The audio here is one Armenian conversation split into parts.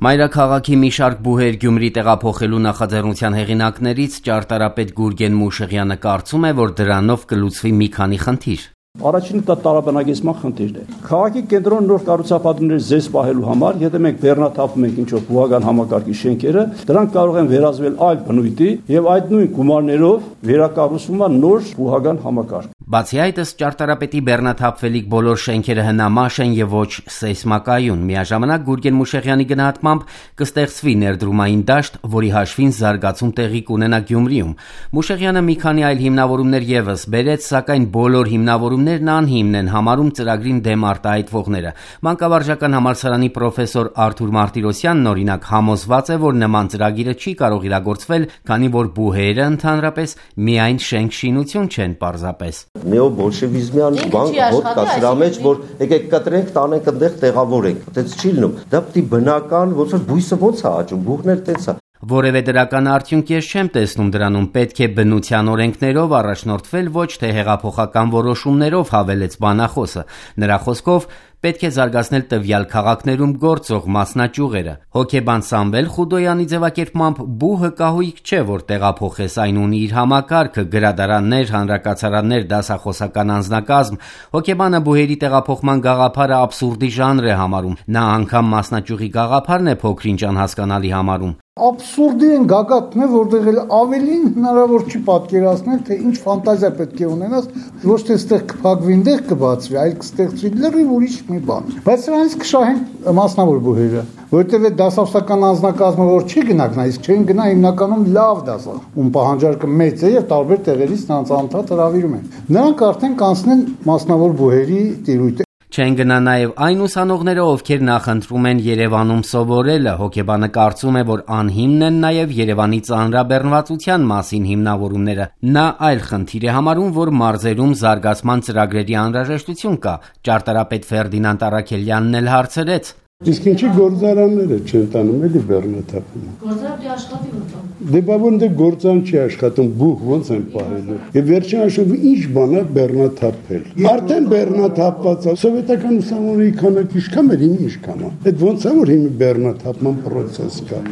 Մայրաքաղաքի մի շարք բուհեր Գյումրի տեղափոխելու նախաձեռնության հեղինակներից ճարտարապետ Գուրգեն Մուշեղյանը կարծում է, որ դրանով կլուծվի մի քանի խնդիր։ Առաջինը դա տարաբնակեցման խնդիրն է։ Քաղաքի կենտրոն նոր կառուցապատումների զես պահելու համար, եթե մենք բեռնաթափում ենք ինչ-որ բուհական համակարգի շենքերը, դրանք կարող են վերածվել այլ բնույթի եւ այդ նույն գումարներով վերակառուցվում է նոր բուհական համակարգ։ Բացի այդ, ըստ ճարտարապետի, բեռնաթափվելիք բոլոր շենքերը հնամաշ են եւ ոչ սեյսմակայուն։ Միաժամանակ Գուրգեն Մուշեղյանի գնահատմամբ կստեղծվի ներդրումային դաշտ, որի հաշվին զարգացում տեղի կունենա Գյումրիում։ Մուշեղյանը մի քանի այլ հիմնավորումներ եւս բերեց, սակայն բոլոր հիմնավորումներն անհիմն են համարում ծրագրին դեմ արտահայտվողները։ Մանկավարժական համալսարանի պրոֆեսոր Արթուր Մարտիրոսյանն օրինակ համոզված է, որ նման ծրագիրը չի կարող իրագործվել, քանի որ բուհերը ընդհանրապես միայն շենք-շինություն չեն պարզապես։ Նեոբոլշևիզմյան բան որ կա սրա մեջ, որ եկեք կտրենք, տանենք այնտեղ տեղավորենք։ Այդպես չի լինում։ Դա պետք է բնական, ոնց որ բույսը ոնց է աճում, բուհներ տենց է։ Որևէ դրական արդյունք ես չեմ տեսնում դրանում, պետք է բնության օրենքներով առաջնորդվել, ոչ թե հեղափոխական որոշումներով, հավելեց բանախոսը։ Նրա խոսքով պետք է զարգացնել տվյալ քաղաքներում գործող մասնաճյուղերը։ Հոգեբան Սամվել Խուդոյանի ձևակերպմամբ բուհը կահույք չէ, որ տեղափոխես, այն ունի իր համակարգը, գրադարաններ, հանրակացարաններ, դասախոսական անձնակազմ։ Հոգեբանը բուհերի տեղափոխման գաղափարը աբսուրդի ժանր է համարում։ Նա անգամ մասնաճյուղի գաղափարն է փոքրինչ անհասկանալի համարում։ Աբսուրդի են գագաթն է, որտեղ ավելին հնարավոր չի պատկերացնել, թե ինչ ֆանտազիա պետք է ունենաս, ոչ թե այստեղ կփակվի, այնտեղ կբացվի, այլ կստեղծվի լրիվ ուրիշ մի բան։ Բայց սրանից կշահեն մասնավոր բուհերը, որտեղ այդ դասախոսական անձնակազմը որ չի գնաք, իսկ չեն գնա հիմնականում լավ դասախոս, ում պահանջարկը մեծ է եւ տարբեր տեղերից նրանց անդադ հրավիրում են։ Նրանք արդեն կանցնեն մասնավոր բուհերի տիրույթ։ Չեն գնա նաև այն ուսանողները, ովքեր նախընտրում են Երևանում սովորելը։ Հոգեբանը կարծում է, որ անհիմն են նաև Երևանի ծանրաբեռնվածության մասին հիմնավորումները։ Նա այլ խնդիր է համարում, որ մարզերում զարգացման ծրագրերի անհրաժեշտություն կա։ Ճարտարապետ Ֆերդինանդ Առաքելյանն էլ հարցրեց. Իսկ ինչի գործարանները չեն տանում էլի բեռնաթափումը։ Գործարանը աշխատի ուտում։ Դե բավոնդե գործան չի աշխատում, բուհ ոնց են պահելու։ Եվ վերջին հաշվով ինչ բան է բեռնաթափել։ Արդեն բեռնաթափված է։ Սովետական ուսանողների քանակը ինչքան էր, ինչքան է։ Այդ ոնց է որ հիմա բեռնաթափման process կա։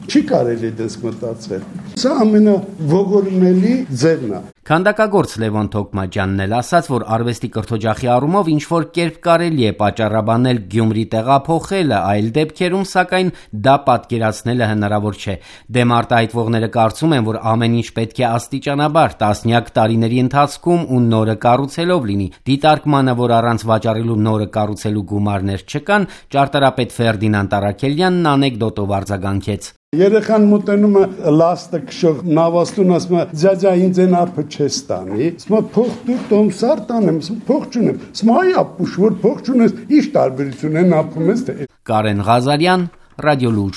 Չի կարելի դες մտածել։ Սա ամենաողորմելի ձևն է։ Քանդակագործ Լևոն Թոքմաջյանն էլ ասաց, որ արվեստի կրթօջախի առումով ինչ-որ կերպ կարելի է պատճառաբանել Գյումրի տեղափոխելը, այլ դեպքերում, սակայն դա պատկերացնելը հնարավոր չէ։ Դեմ արտահայտվողները կարծում են, որ ամեն ինչ պետք է աստիճանաբար, տասնյակ տարիների ընթացքում ու նորը կառուցելով լինի։ Դիտարկմանը, որ առանց վաճառելու նորը կառուցելու գումարներ չկան, ճարտարապետ Ֆերդինանդ Առաքելյանն անեկդոտով արձագանքեց։ Երեխան մոտենում է լաստը քշող նավաստուն, ասում է ձյաձյա ինձ են ապը չես տանի։ Ասում է փող դու տոմսար տանեմ, փող չունեմ։ Ասում է այ ապուշ որ փող չունես, ի՞նչ տարբերություն են ապում ես թե։ Կարեն Ղազարյան, Ռադիոլուր։